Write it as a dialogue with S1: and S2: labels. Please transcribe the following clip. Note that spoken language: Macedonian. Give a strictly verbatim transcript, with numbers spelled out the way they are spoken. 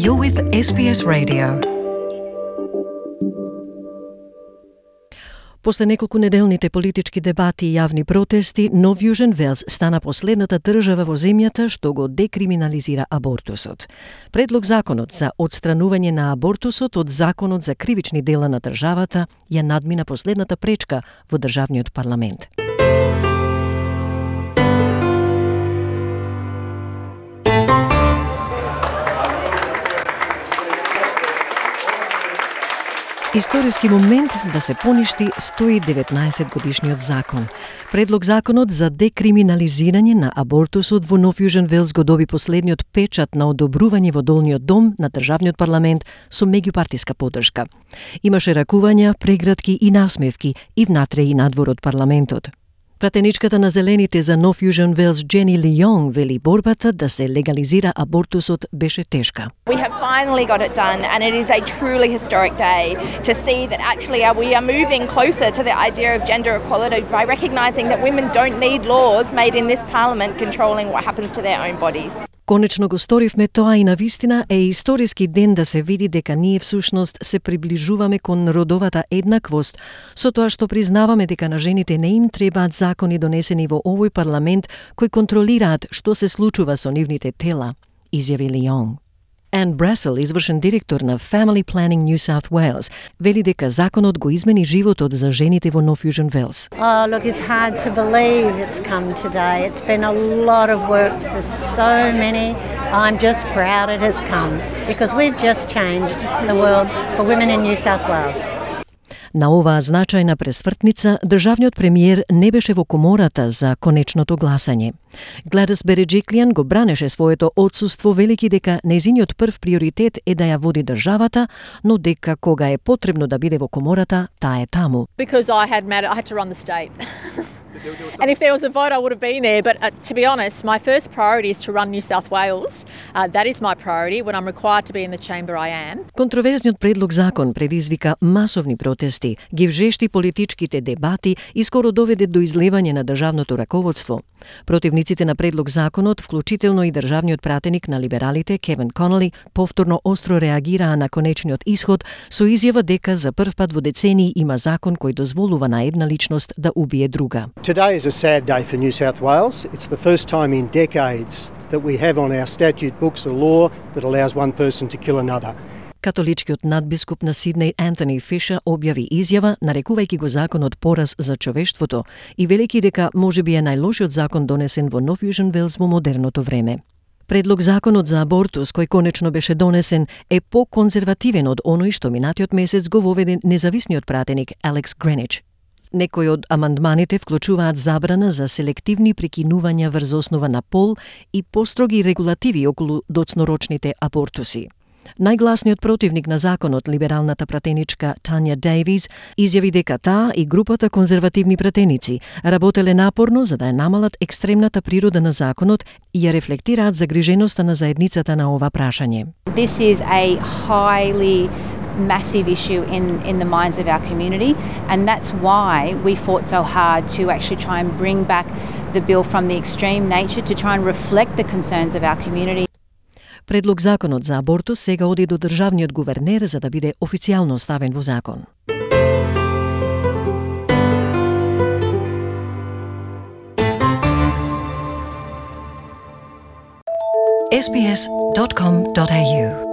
S1: You're with S B S Radio. После неколку неделните политички дебати и јавни протести, Нов Јужен Велс стана последната држава во земјата што го декриминализира абортусот. Предлог законот за отстранување на абортусот од законот за кривични дела на државата ја надмина последната пречка во државниот парламент. Историски момент да се поништи сто и деветнаесет годишниот закон. Предлог законот за декриминализирање на абортусот во Нов Јужен Велс го доби последниот печат на одобрување во долниот дом на државниот парламент со меѓупартиска поддршка. Имаше ракувања, прегратки и насмевки и внатре и надвор од парламентот. Пратеничката на Зелените за Нов Јужен Велс Джени Лијонг вели борбата да се легализира абортусот беше тешка.
S2: We have finally got it done, and it is a truly historic day to see that actually we are moving closer to the idea of gender equality by recognising that women don't need laws made in this parliament controlling what happens to their own bodies.
S1: Конечно го сторивме тоа и навистина е историски ден да се види дека ние всушност се приближуваме кон родовата еднаквост, со тоа што признаваме дека на жените не им требаат закони донесени во овој парламент кои контролираат што се случува со нивните тела, изјави Лијонг. Anne Brassel, извршен директор на Family Planning New South Wales, вели дека законот го измени животот за жените во Нов Јужен Велс.
S3: Oh, look, it's hard to believe it's come today. It's been a lot of work for so many. I'm just proud it has come because we've just changed the world for women in New South Wales.
S1: На оваа значајна пресвртница, државниот премиер не беше во комората за конечното гласање. Гладис Береджиклијан го бранеше своето отсуство, велики дека нејзиниот прв приоритет е да ја води државата, но дека кога е потребно да биде во комората, таа е таму.
S4: Because I had matter, I had to run the state. And if there was a vote, I would have been there. But uh, to be honest, my first priority is to run New South Wales. Uh, that is my priority. When I'm required to be in the chamber, I am.
S1: Контроверзниот предлог закон предизвика масовни протести, ги вжешти политичките дебати и скоро доведе до излевање на државното раководство. Противниците на предлог законот, вклучително и државниот пратеник на либералите Кевин Конели, повторно остро реагираа на конечниот исход со изјава дека за прв пат во децении има закон кој дозволува на една личност да убие друга.
S5: Today is a sad day for New South Wales. It's the first time in decades that we have on our statute books a law that allows one person to kill another.
S1: Католичкиот надбискуп на Сиднеј Антони Фишер објави изјава нарекувајќи го законот пораз за човештвото и велики дека можеби е најлошиот закон донесен во Нов Јужен Велс во модерното време. Предлог законот за абортус, кој конечно беше донесен, е по-конзервативен од оној што минатиот месец го воведе независниот пратеник Алекс Гренич. Некои од амандманите вклучуваат забрана за селективни прекинувања врз основа на пол и построги регулативи околу доцнорочните абортуси. Најгласниот противник на законот, либералната пратеничка Тања Дейвис, изјави дека таа и групата конзервативни пратеници работеле напорно за да ја намалат екстремната природа на законот и ја рефлектираат загриженоста на заедницата на ова прашање.
S2: This is a highly massive issue in, in the minds of our community, and that's why we fought so hard to actually try and bring back the bill from the extreme nature to try and reflect the concerns of our community.
S1: Предлог законот за абортус сега оди до државниот гувернер за да биде официјално ставен во закон. S B S dot com dot A U